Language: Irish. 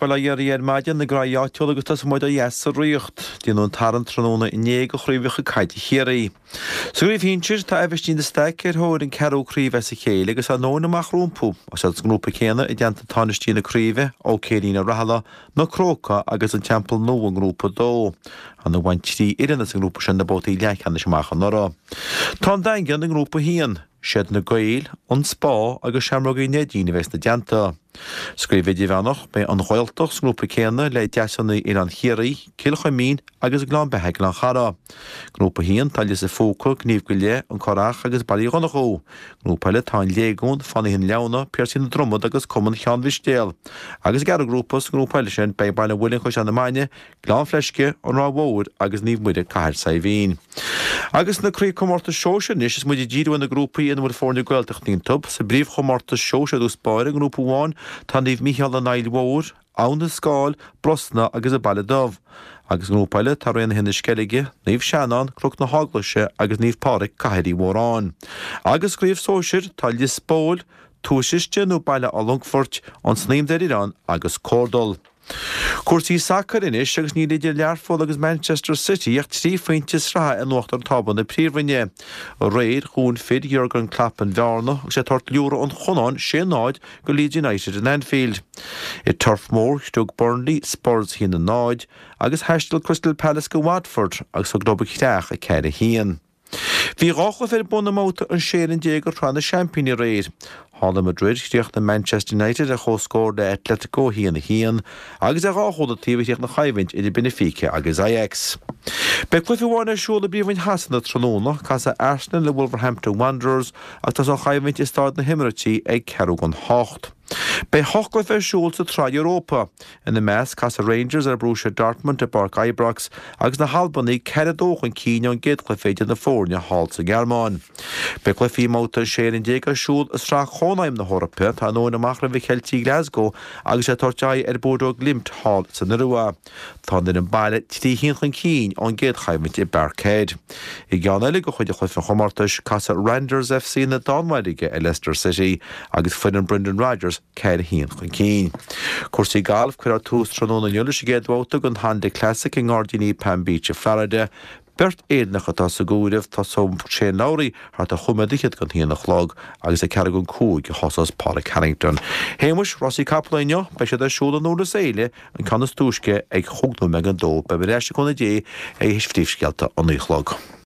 Baile Átha Fhiarraí ar maidin, na graí áitiúla agus tosóidh muid ó dheas sa Ríocht. Déanadh an tarraingt tráthnóna inné do chraobhacha caide Chiarraí. Sa gcraobh shinsir, tá Aibhistín de Staic ar thóir an ceathrú craobh as a chéile agus tá an Nóin amach rompu. Is iad sa ngrúpa céanna i dteannta tánaistí na craoibhe, Ó Céirín Ó Rathaille, Na Crócaigh agus an Teampall Nua i ngrúpa 2. Ar ndóigh bhain 3 fhoireann as an ngrúpa sin na babhtaí leathcheannais amach anuraidh. Tá an Daingean i ngrúpa 1. Siad na Gaeil, an Spá agus Seamrógaí Neidín a bheas ina dteannta. Sa gcraobh idirmheánach, beidh an Ghaeltacht sa ngrúpa céanna le Deasúnaí Oileán Chiarraí, Cill Chuimín agus Gleann Beatha Gleann Chara. Ngrúpa 1, tá Lios a' Phúca, Gníomh go Leith, An Currach agus Baile Uí Dhonnchú. Ngrúpa eile tá An Léigiún, Fánaithe na Leamhna, Piarsaigh na Dromad agus Cumann Cheann Mhistéal. Agus sa gceathrú grúpa, sa ngrúpa eile sin, beidh Baile an Mhuilinn Caisleán na Maine, Gleann Fleisce, An Ráth Mhóir agus Naomh Muire Cathair Saidhbhín. Agus na craobhchomórtais sóisir anois is muid ag díriú ar na grúpaí ina bhfuil foirne Gaeltachta iontu. Sa bpríomhchomórtas sóisir i dtús báire, i ngrúpa amháin, tá Naomh Mícheál an Aill Mhóir, Abhainn an Scáil, Brosna agus an Baile Dubh. Agus i ngrúpa eile tá Raonaithe na Sceilge, Naomh Seanán, Cnoc na hEaglaise agus Naomh Pádraig, Cathair Uí Mhóráin. Agus sa gcraobh sóisir tá Lios Póil, Tús Uisce nó Baile an Longfoirt, An Snaidhm Doire Oileáin agus Cordal. Cúrsaí sacair anois agus níl idir Learpholl agus Manchester City ach 3 phointe sraithe in uachtar tábla na Príomhroinne. Aréir, dhún fir Jurgen Klopp an bhearna agus iad ag tabhairt liúradh an Chonáin 6-0 go Leeds United in Anfield. I Turf Moor, shrioc Burnley Spurs 1-0 agus thaistil Crystal Palace go Watford agus thug leo creach 4-1. Bhí 2 chluiche ar bun i mbabhta an 16 fhoireann de Shraith na Seaimpíní aréir. Thall i Madrid, chríochnaigh Manchester United ar comhscór le Atletico 1-1 agus ar dhá chúl an taobh a chríochnaigh an choimhlint idir Benfica agus Ajax. Beidh cluiche amháin ar siúl i bPríomhroinn Shasana tráthnóna, casfaidh Arsenal le Wolverhampton Wanderers agus tosóidh an choimhlint i Stáid na hEimiréití ag ceathrú don hocht. Beidh hocht gcluiche ar siúl sa tSraith Europa. Ina measc, casfaidh Rangers ar Borussia Dortmund i bPáirc Ibrox agus na hAlbanaigh 4-2 chun cinn ón gcéad chluiche idir na foirne thall sa nGearmáin. Beidh cluichí i mbabhta an 16 fhoireann ar siúl i Sraith Chónaidhm na hEorpa. Tá an Nóin amach roimh Cheiltigh Glasgow agus iad ag tabhairt aghaidh ar Bodo Glimt thall san Iorua. Tá an fhoireann baile 3-1 chun cinn ón gcéad choimhlint i bParkhead. I gceann eile de chuid de chluichí an chomórtais, casfaidh Randers FC na Danmhairge ar Leicester City agus foireann Brendan Rodgers 4-1 chun cinn. Cúrsaí gailf, Cuirfear tús tráthnóna inniu leis an gcéad bhabhta den Honda Classic i nGairdíní Palm Beach i Florida. Beirt Éireannach atá sa gcomhaireamh, tosóidh Shane Lowry thart ar chúig nóiméad fhichead don haon a chlog agus ag ceathrú don cúig a thosós Pádraig Harrington. Shéamuis, rásaí capall inniu, beidh siad ar siúl i nDurlas Éile, an ceann is túisce ag chúig nóiméad don dó. Beidh mé ar ais le cúnamh Dé ag théis phríomhscéalta a naoi a chlog.